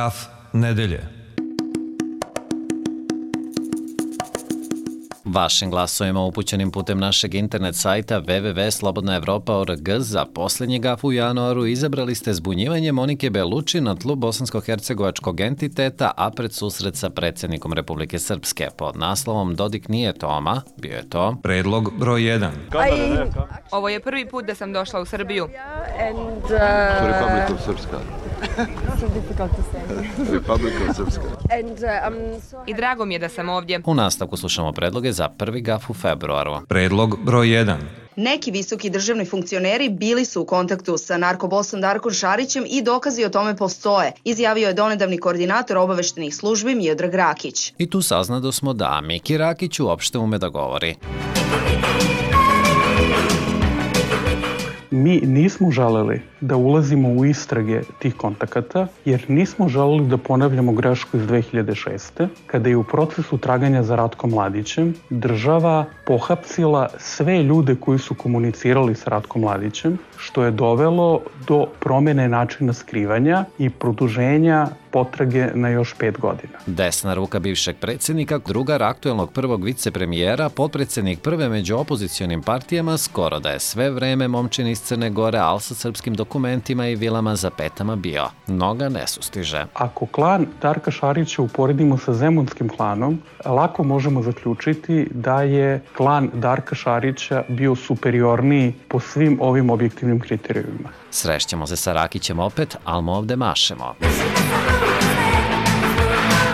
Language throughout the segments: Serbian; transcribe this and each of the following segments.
Gaf nedelje. Vašim glasovima upućenim putem našeg internet sajta www.slobodnaevropa.org za posljednji gaf u januaru izabrali ste zbunjivanje Monike Beluči na tlu bosansko-hercegovačkog entiteta, a pred susret sa predsjednikom Republike Srpske. Pod naslovom Dodik nije Toma, bio je to Predlog broj 1. Ovo je prvi put da sam došla u Srbiju. Republika Srpska. Republika Srpska. I drago mi je da sam ovdje. U nastavku slušamo predloge za prvi gaf u februaru. Predlog broj 1. Neki visoki državni funkcioneri bili su u kontaktu sa narkobosom Darkom Šarićem i dokazi o tome postoje, izjavio je donedavni koordinator obaveštenih službi Miodrag Rakić. I tu saznadosmo da Miki Rakić uopšte ume da govori. Mi nismo želeli da ulazimo u istrage tih kontakata, jer nismo želeli da ponavljamo grešku iz 2006. kada je u procesu traganja za Ratkom Mladićem država pohapsila sve ljude koji su komunicirali s Ratkom Mladićem, što je dovelo do promjene načina skrivanja i produženja potrage na još 5 godina. Desna ruka bivšeg predsjednika, drugar aktuelnog prvog vicepremijera, potpredsjednik prve među opozicionim partijama, skoro da je sve vreme momčin iz Crne Gore, al sa srpskim dokumentima i vilama za petama bio. Noga ne sustiže. Ako klan Darka Šarića uporedimo sa zemunskim klanom, lako možemo zaključiti da je klan Darka Šarića bio superiorniji po svim ovim objektivnim kriterijumima. Srešćemo se sa Rakićem opet, ali mu ovde mašemo.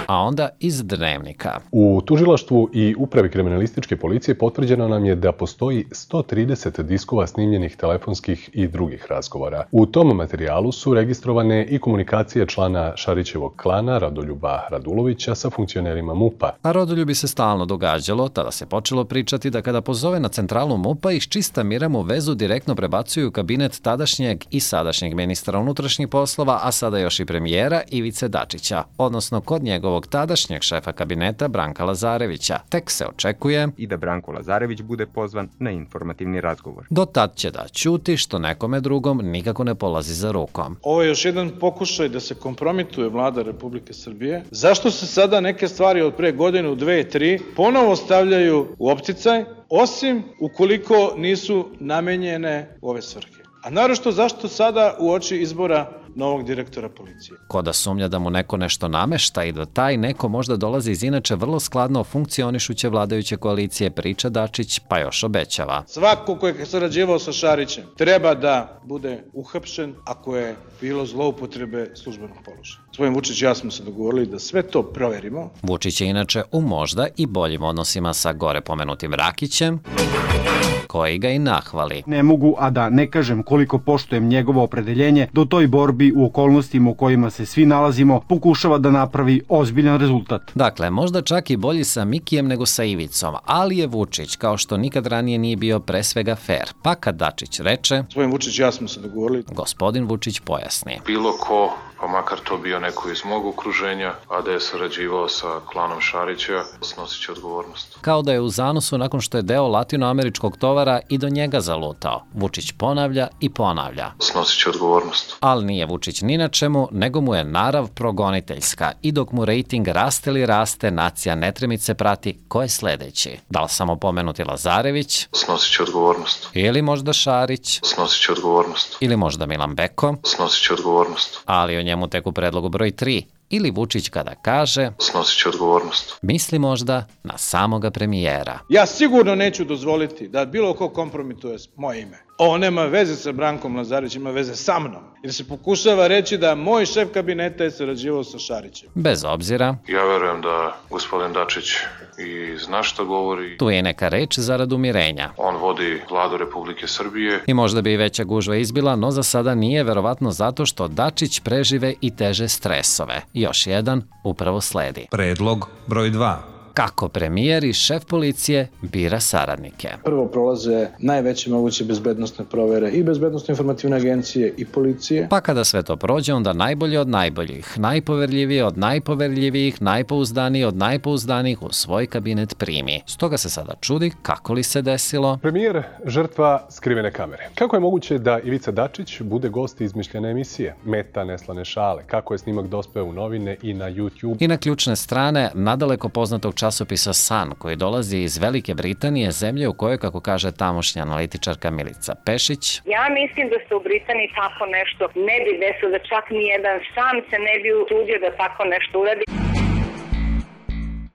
A onda iz Dnevnika. U tužilaštvu i upravi kriminalističke policije potvrđeno nam je da postoji 130 diskova snimljenih telefonskih i drugih razgovora. U tom materijalu su registrovane i komunikacije člana Šarićevog klana Rodoljuba Radulovića sa funkcionerima MUP-a. A Rodoljubi se stalno događalo, tada se počelo pričati da kada pozove na centralu MUP-a iz čista mira mu vezu direktno prebacuju u kabinet tadašnjeg i sadašnjeg ministra unutrašnjih poslova, a sada još i premijera Ivice Dačića, odnosno kod njegovog tadašnjeg šefa kabineta Branka Lazarevića. Tek se očekuje i da Branko Lazarević bude pozvan na informativni razgovor. Do tad će da ćuti, što nekome drugom nikako ne polazi za rukom. Ovo je još jedan pokušaj da se kompromituje vlada Republike Srbije. Zašto se sada neke stvari od pre godinu, 2, 3 ponovo stavljaju u opticaj, osim ukoliko nisu namenjene u ove svrhe? A naročito zašto sada uoči izbora novog direktora policije? Ko da sumnja da mu neko nešto namešta i da taj neko možda dolazi iz inače vrlo skladno funkcionišuće vladajuće koalicije, priča Dačić, pa još obećava. Svako ko je sarađivao sa Šarićem treba da bude uhapšen ako je bilo zloupotrebe službenog položaja. Gospodin Vučić i ja smo se dogovorili da sve to proverimo. Vučić je inače u možda i boljim odnosima sa gore pomenutim Rakićem, koji ga i nahvali. Ne mogu, a da ne kažem koliko poštujem njegovo opredeljenje do toj borbi u okolnostima u kojima se svi nalazimo, pokušava da napravi ozbiljan rezultat. Dakle, možda čak i bolji sa Mikijem nego sa Ivicom, ali je Vučić, kao što nikad ranije nije bio pre svega fair. Pa kad Dačić reče, gospodin Vučić i ja smo se dogovorili, gospodin Vučić pojasni. Bilo ko, pa makar to bio neko iz mog okruženja, a da je sarađivao sa klanom Šarića, snosit će odgovornost. Kao da je u zanosu nakon što je deo latinoameričkog tovara i do njega zalutao. Vučić ponavlja i ponavlja. Snosit će odgovornost. Ali nije Vučić ni na čemu, nego mu je narav progoniteljska. I dok mu rejting raste li raste, nacija netremice prati ko je sledeći. Da li samo pomenuti Lazarević? Snosit će odgovornost. Ili možda Šarić? Snosit će odgovornost. Ili možda Milan Beko? Snosit će odgovornost. Ali o njemu tek u predlogu broj 3. Ili Vučić kada kaže, snosit će odgovornost. Misli možda na samoga premijera. Ja sigurno neću dozvoliti da bilo ko kompromituje moje ime. Ovo nema veze sa Brankom Lazarevićem, ima veze sa mnom. Jer se pokušava reći da moj šef kabineta je sarađivao sa Šarićem. Bez obzira. Ja verujem da gospodin Dačić i zna šta govori. Tu je neka reč zarad umirenja. On vodi vladu Republike Srbije. I možda bi i veća gužva izbila, no za sada nije, verovatno zato što Dačić prežive i teže stresove. Još jedan upravo sledi. Predlog broj 2. kako premijer i šef policije bira saradnike. Prvo prolaze najveće moguće bezbednosne provere i bezbednosno-informativne agencije i policije. Pa kada sve to prođe, onda najbolji od najboljih, najpoverljiviji od najpoverljivijih, najpouzdaniji od najpouzdanijih u svoj kabinet primi. Stoga se sada čudi kako li se desilo. Premijer žrtva skrivene kamere. Kako je moguće da Ivica Dačić bude gost izmišljene emisije? Meta neslane šale. Kako je snimak dospeo u novine i na YouTube? I na ključne strane nadaleko poznatog časopisa Sun, koji dolazi iz Velike Britanije, zemlje u kojoj, kako kaže tamošnja analitičarka Milica Pešić, ja mislim da se u Britaniji tako nešto ne bi desilo, da čak nijedan sam se ne bi usudio da tako nešto uradi.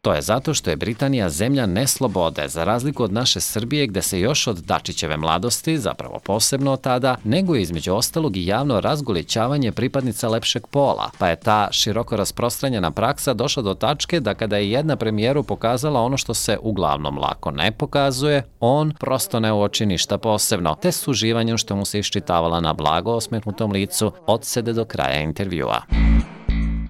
To je zato što je Britanija zemlja neslobode, za razliku od naše Srbije gde se još od Dačićeve mladosti, zapravo posebno od tada, neguje između ostalog i javno razgolićavanje pripadnica lepšeg pola, pa je ta široko rasprostranjena praksa došla do tačke da kada je jedna premijeru pokazala ono što se uglavnom lako ne pokazuje, on prosto ne uoči ništa posebno, te s uživanjem što mu se iščitavala na blago osmehnutom licu odsede do kraja intervjua.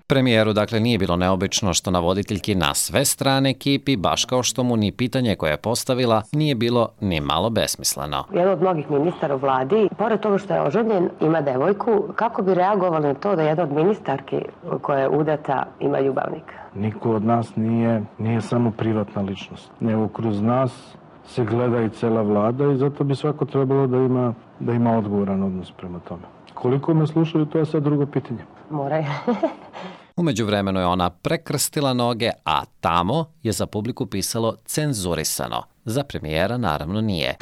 Premijeru, dakle, nije bilo neobično što na voditeljki na sve strane ekipi, baš kao što mu ni pitanje koje je postavila, nije bilo ni malo besmisleno. Jedan od mnogih ministara u vladi, pored toga što je oženjen, ima devojku, kako bi reagovali na to da jedna od ministarki koja je udata ima ljubavnika? Niko od nas nije samo privatna ličnost. Nego kroz nas se gleda i cela vlada i zato bi svako trebalo da ima odgovoran odnos prema tome. Koliko me slušaju, to je sad drugo pitanje. Moraju. U međuvremenu je ona prekrstila noge, a tamo je za publiku pisalo cenzurisano. Za premijera naravno nije.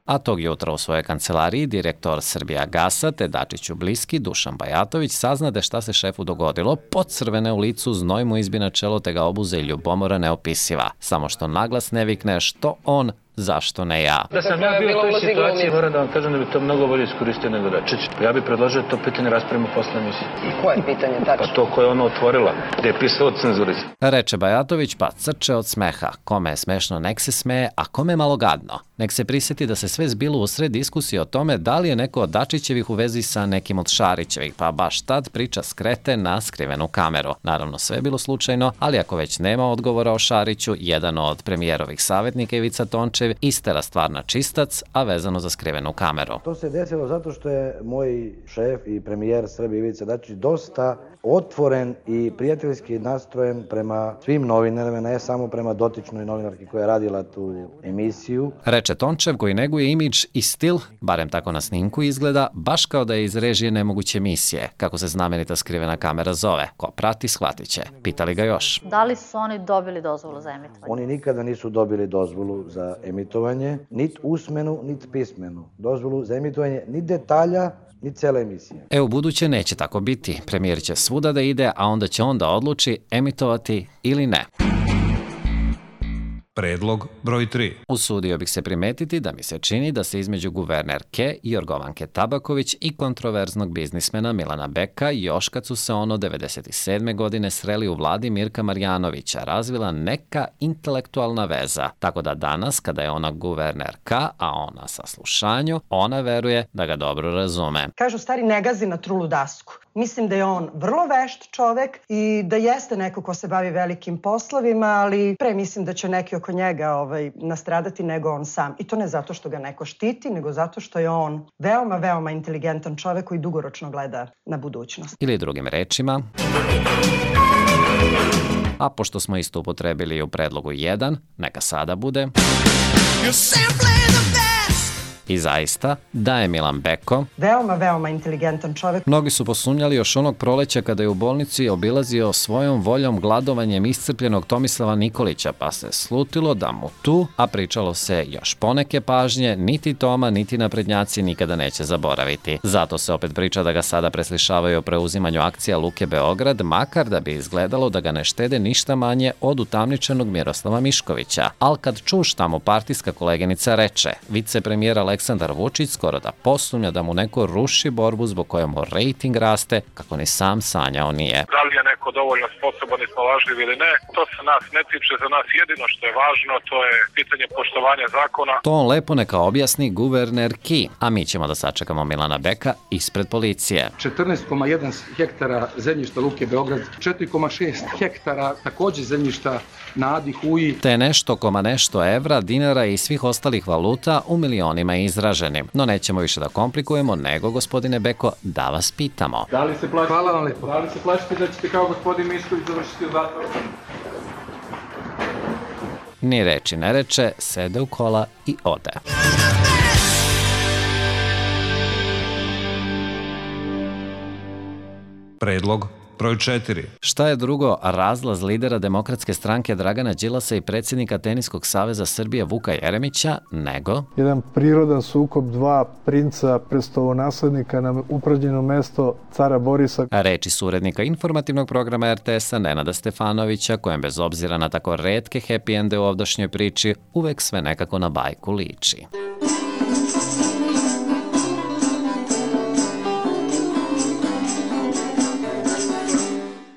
A tog jutra u svojoj kancelariji direktor Srbijagasa te Dačiću bliski Dušan Bajatović saznade šta se šefu dogodilo, pocrvene u licu, znoj mu izbi na čelo te ga obuze i ljubomora neopisiva. Samo što naglas ne vikne što on, zašto ne ja. Da sam ja bio u toj situaciji, moram da vam kažem da bi to mnogo bolje iskoristio nego Dačić. Ja bih predložio to pitanje raspravimo posle emisije. I koje pitanje tačno? Pa to koje ona otvorila, gde je pisalo cenzurizaciju. Reče Bajatović pa crče od smeha. Kome je smešno, nek se smeje, a kome je malo gadno. Nek se prisjeti da se sve zbilo usred diskusije o tome da li je neko od Dačićevih u vezi sa nekim od Šarićevih, pa baš tad priča skrete na skrivenu kameru. Naravno, sve je bilo slučajno, ali ako već nema odgovora o Šariću, jedan od premijerovih savjetnika Ivica Tončev istera stvar na čistac, a vezano za skrivenu kameru. To se desilo zato što je moj šef i premijer Srbije Ivica Dačić dosta otvoren i prijateljski nastrojen prema svim novinarima, ne samo prema dotičnoj novinarki koja je radila tu emisiju. Reče Tončev koji neguje imidž i stil, barem tako na snimku izgleda, baš kao da je iz režije nemoguće emisije, kako se znamenita skrivena kamera zove. Ko prati, shvatit će. Pitali ga još. Da li su oni dobili dozvolu za emitovanje? Oni nikada nisu dobili dozvolu za emitovanje, niti usmenu, niti pismenu. Dozvolu za emitovanje, niti detalja, ni cele emisije. U buduće neće tako biti. Premijer će svuda da ide, a onda će on da odluči emitovati ili ne. Predlog broj 3. Usudio bih se primetiti da mi se čini da se između guvernerke Jorgovanke Tabaković i kontroverznog biznismena Milana Beka još kad su se ono 97. godine sreli u vladi Mirka Marjanovića razvila neka intelektualna veza. Tako da danas, kada je ona guvernerka, a ona sa slušanju, ona veruje da ga dobro razume. Kažu stari ne gazi na trulu dasku. Mislim da je on vrlo vešt čovek i da jeste neko ko se bavi velikim poslovima, ali pre mislim da će neki oko njega nastradati nego on sam. I to ne zato što ga neko štiti, nego zato što je on veoma, veoma inteligentan čovek koji dugoročno gleda na budućnost. Ili drugim rečima, a pošto smo isto upotrebili u predlogu 1, neka sada bude... I zaista, da je Milan Beko veoma, veoma inteligentan čovek. Mnogi su posumnjali još onog proleća kada je u bolnici obilazio svojom voljom gladovanjem iscrpljenog Tomislava Nikolića, pa se slutilo da mu tu, a pričalo se još poneke pažnje, niti Toma, niti naprednjaci nikada neće zaboraviti. Zato se opet priča da ga sada preslišavaju o preuzimanju akcija Luke Beograd, makar da bi izgledalo da ga ne štede ništa manje od utamničenog Miroslava Miškovića. Al kad čuš šta mu partijska koleginica reče, vicepremijera Aleksandar Vučić skoro da posumnja da mu neko ruši borbu zbog koje mu rejting raste, kako ni sam sanjao nije. Da li je neko dovoljno sposoban i snalažljiv ili ne, to se nas ne tiče. Za nas jedino što je važno, to je pitanje poštovanja zakona. To on lepo neka objasni guverner Ki, a mi ćemo da sačekamo Milana Beka ispred policije. 14,1 hektara zemljišta Luke Beograd, 4,6 hektara takođe zemljišta na Adi Huji. Te nešto evra, dinara i svih ostalih valuta u milionima izraženi. No nećemo više da komplikujemo, nego, gospodine Beko, da vas pitamo. Da li se plašite? Hvala vam lepo. Da li se plašite da ćete kao gospodin Mišković završiti u zatvoru? Ni reči ne reče, sede u kola i ode. Predlog broj 4. Šta je drugo razlaz lidera Demokratske stranke Dragana Đilasa i predsjednika Teniskog saveza Srbije Vuka Jeremića, nego jedan prirodan sukob dva princa prestolonaslednika na upražnjeno mesto cara Borisa. Reči su urednika informativnog programa RTS-a Nenada Stefanovića, kojem bez obzira na tako retke happy ende u ovdašnjoj priči, uvek sve nekako na bajku liči.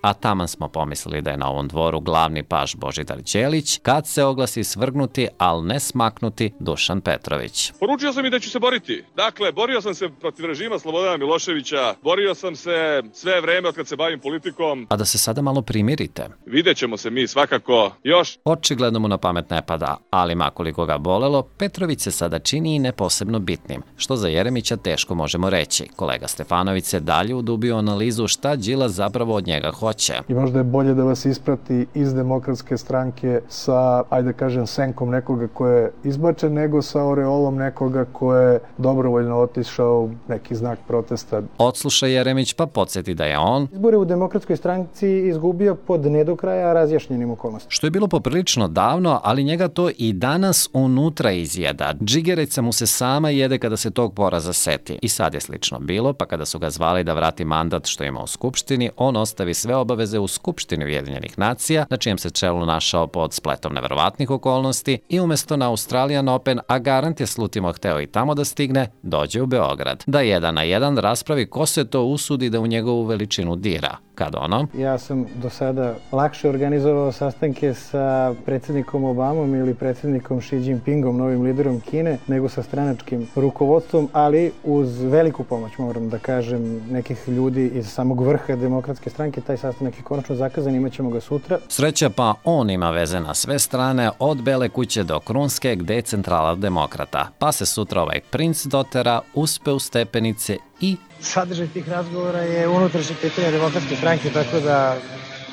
A taman smo pomislili da je na ovom dvoru glavni paš Božidar Ćelić, kad se oglasi svrgnuti, al ne smaknuti Dušan Petrović. Poručio sam i da ću se boriti. Dakle, borio sam se protiv režima Slobodana Miloševića, borio sam se sve vreme od kad se bavim politikom. A da se sada malo primirite. Vidjet ćemo se mi svakako još. Očigledno mu na pamet ne pada, ali makoliko ga bolelo, Petrović se sada čini i ne posebno bitnim, što za Jeremića teško možemo reći. Kolega Stefanović se dalje udubio analizu šta Đilas zapravo od njega hoće. I možda je bolje da vas isprati iz Demokratske stranke sa, ajde kažem, senkom nekoga ko je izbačen, nego sa oreolom nekoga ko je dobrovoljno otišao neki znak protesta. Odsluša Jeremić pa podsjeti da je on izbore u Demokratskoj stranci izgubio pod ne do kraja razjašnjenim okolnostima. Što je bilo poprilično davno, ali njega to i danas unutra izjeda. Džigerica mu se sama jede kada se tog poraza seti. I sad je slično bilo, pa kada su ga zvali da vrati mandat što ima u Skupštini, on ostavi sve obaveze u Skupštini Ujedinjenih nacija, na čijem se čelu našao pod spletom neverovatnih okolnosti i umesto na Australian Open, a garant je slutimo hteo i tamo da stigne, dođe u Beograd. Da 1 na 1 raspravi ko se to usudi da u njegovu veličinu dira. Kad ono? Ja sam do sada lakše organizovao sastanke sa predsjednikom Obamom ili predsjednikom Xi Jinpingom, novim liderom Kine, nego sa stranačkim rukovodstvom, ali uz veliku pomoć, moram da kažem, nekih ljudi iz samog vrha Demokratske stranke. Taj sastanak je konačno zakazan, imat ćemo ga sutra. Sreća pa on ima veze na sve strane, od Bele kuće do Krunske, gde je centrala demokrata. Pa se sutra ovaj princ dotera, uspe u stepenice i sadržaj tih razgovora je unutrašnje pitanje Demokratske stranke, tako da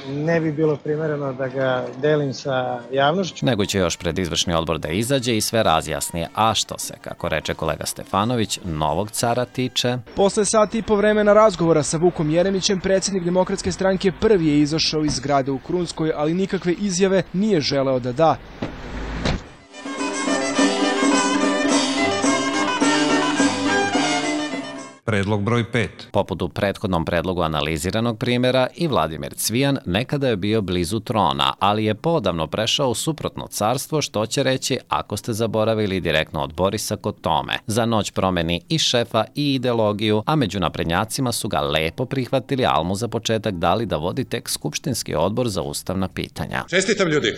ne bi bilo primereno da ga delim sa javnošću. Nego će još pred izvršni odbor da izađe i sve razjasnije. A što se, kako reče kolega Stefanović, novog cara tiče? Posle sat i po vremena razgovora sa Vukom Jeremićem, predsjednik Demokratske stranke prvi je izašao iz zgrade u Krunskoj, ali nikakve izjave nije želeo da da. Predlog broj 5. Poput u prethodnom predlogu analiziranog primjera, i Vladimir Cvijan nekada je bio blizu trona, ali je podavno prešao u suprotno carstvo, što će reći ako ste zaboravili direktno od Borisa kod tome. Za noć promeni i šefa i ideologiju, a među naprednjacima su ga lepo prihvatili, ali mu za početak dali da vodi tek Skupštinski odbor za ustavna pitanja. Čestitam ljudi!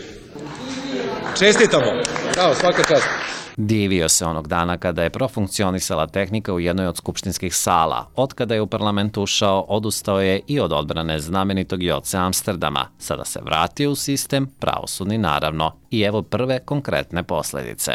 Čestitamo! Bravo, svaka čast! Divio se onog dana kada je profunkcionisala tehnika u jednoj od skupštinskih sala. Od kada je u parlament ušao, odustao je i od odbrane znamenitog Joce Amsterdama. Sada se vratio u sistem, pravosudni naravno. I evo prve konkretne posledice.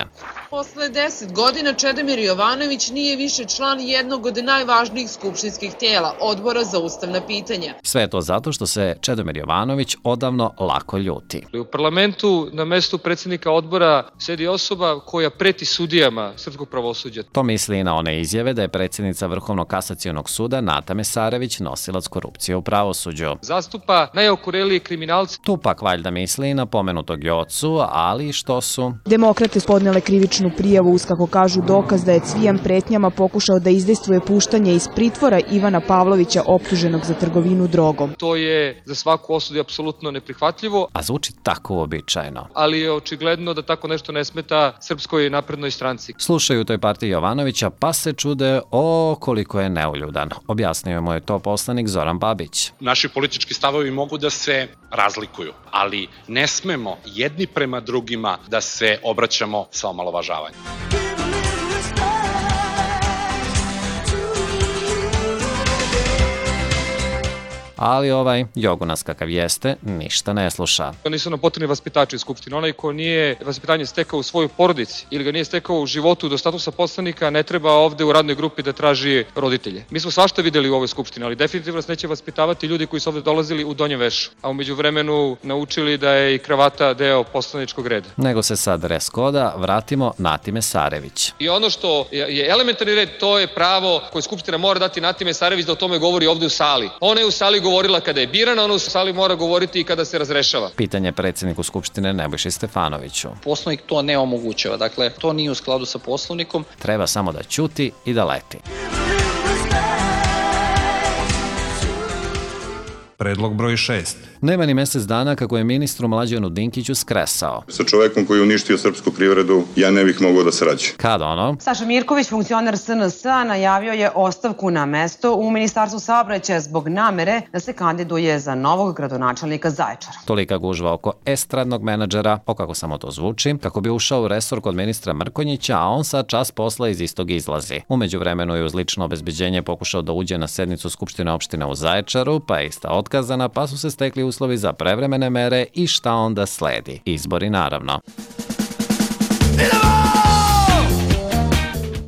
Posle 10 godina Čedomir Jovanović nije više član jednog od najvažnijih skupštinskih tijela, Odbora za ustavna pitanja. Sve to zato što se Čedomir Jovanović odavno lako ljuti. U parlamentu na mestu predsjednika odbora sedi osoba koja preti sudijama srpskog pravosuđa. To misli i na one izjave da je predsjednica Vrhovnog kasacionog suda Nata Mesarević nosilac korupcije u pravosuđu. Zastupa najokorelije kriminalce. Tu pak valjda misli i na pomenutog Jocu, sudu, ali i što su Demokrate podnele krivičnu prijavu uz, kako kažu, dokaz da je Cvijan pretnjama pokušao da izdejstvuje puštanje iz pritvora Ivana Pavlovića optuženog za trgovinu drogom. To je za svaku osudu apsolutno neprihvatljivo. A zvuči tako uobičajeno. Ali je očigledno da tako nešto ne smeta Srpskoj naprednoj stranci. Slušaju u toj partiji Jovanovića pa se čude koliko je neuljudan. Objasnio mu je to poslanik Zoran Babić. Naši politički stavovi mogu da se razlikuju, ali ne smemo jedni prema drugima da se obraćamo sa omalovažavanjem. Ali Jogunas kakav jeste, ništa ne sluša. Nisu nam potrebni vaspitači u Skupštini. Onaj ko nije vaspitanje stekao u svojoj porodici ili ga nije stekao u životu do statusa poslanika, ne treba ovde u radnoj grupi da traži roditelje. Mi smo svašta videli u ovoj Skupštini, ali definitivno nas neće vaspitavati ljudi koji su ovde dolazili u donjem vešu, a umeđu vremenu naučili da je i kravata deo poslaničkog reda. Nego se sad reskoda, vratimo Nati Mesarević. I ono što je elementarni red, to je pravo koje Skupština mora dati Nati Mesarević da o tome govori ovde u sali. Ona je u sali govorila kada je birana, ona u sali mora govoriti i kada se razrešava. Pitanje predsjedniku Skupštine Nebojši Stefanoviću. Poslovnik to ne omogućava, dakle to nije u skladu sa Poslovnikom. Treba samo da ćuti i da leti. Predlog broj 6. Nema ni mesec dana kako je ministru Mlađanu Dinkiću skresao. Sa čovekom koji je uništio srpsku privredu, ja ne bih mogao da sarađujem. Kad ono? Saša Mirković, funkcioner SNS-a, najavio je ostavku na mesto u Ministarstvu saobraćaja zbog namere da se kandiduje za novog gradonačelnika Zaječara. Tolika gužva oko estradnog menadžera, kako samo to zvuči, kako bi ušao u resor kod ministra Mrkonjića, a on sad čas posla iz istog izlazi. Umeđu vremenu je uz lično obezbeđenje pokušao da uđe na sednicu Skupštine opštine u Zaječaru, pa je ista otkazana, pa su se stekli uslovi za prevremene mere i šta onda sledi? Izbori, naravno.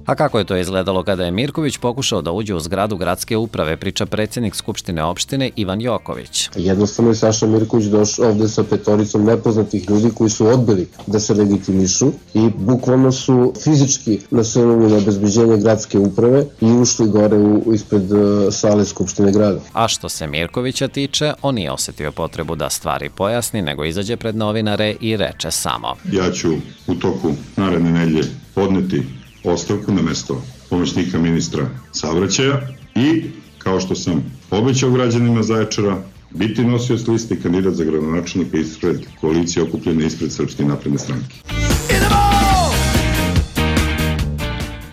A kako je to izgledalo kada je Mirković pokušao da uđe u zgradu gradske uprave, priča predsjednik Skupštine opštine Ivan Joković. Jednostavno je Saša Mirković došao ovde sa petoricom nepoznatih ljudi koji su odbili da se legitimišu i bukvalno su fizički nasunuli na obezbeđenje gradske uprave i ušli gore ispred sale Skupštine grada. A što se Mirkovića tiče, on nije osetio potrebu da stvari pojasni, nego izađe pred novinare i reče samo: Ja ću u toku naredne nedelje podneti ostavku na mesto pomoćnika ministra saobraćaja i, kao što sam obećao građanima Zaječara, biti nosioc liste i kandidat za gradonačelnika ispred koalicije okupljene ispred Srpske napredne stranke.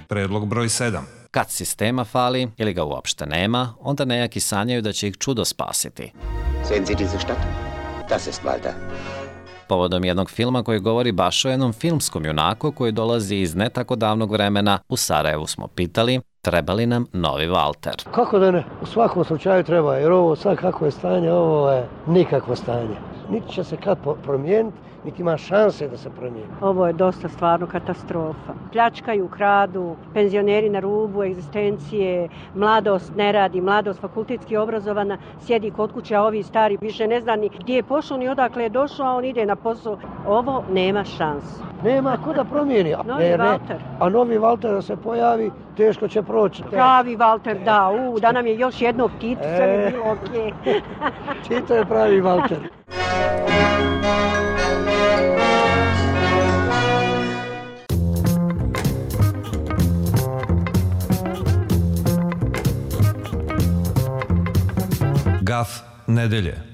Predlog broj 7. Kad sistema fali ili ga uopšte nema, onda nejaki sanjaju da će ih čudo spasiti. Sehen Sie diese Stadt? Das ist Malta. Povodom jednog filma koji govori baš o jednom filmskom junaku koji dolazi iz ne tako davnog vremena, u Sarajevu smo pitali treba li nam novi Valter. Kako da ne? U svakom slučaju treba, jer ovo sad kako je stanje, ovo je nikakvo stanje. Niti će se kad promijeniti, niti ima šanse da se promijeni. Ovo je dosta stvarno katastrofa. Pljačkaju, kradu, penzioneri na rubu egzistencije, mladost ne radi, mladost fakultetski obrazovana, sjedi kod kuće, a ovi stari više ne zna ni gdje je pošao ni odakle je došao, a on ide na posao. Ovo nema šanse. Nema ko da promijeni. Novi Valter. A novi Valter da se pojavi, teško će proći. Pravi Valter, da. Da nam je još jedno Tito, sve je bilo okej. Tito je pravi Valter. Gaf nedelje.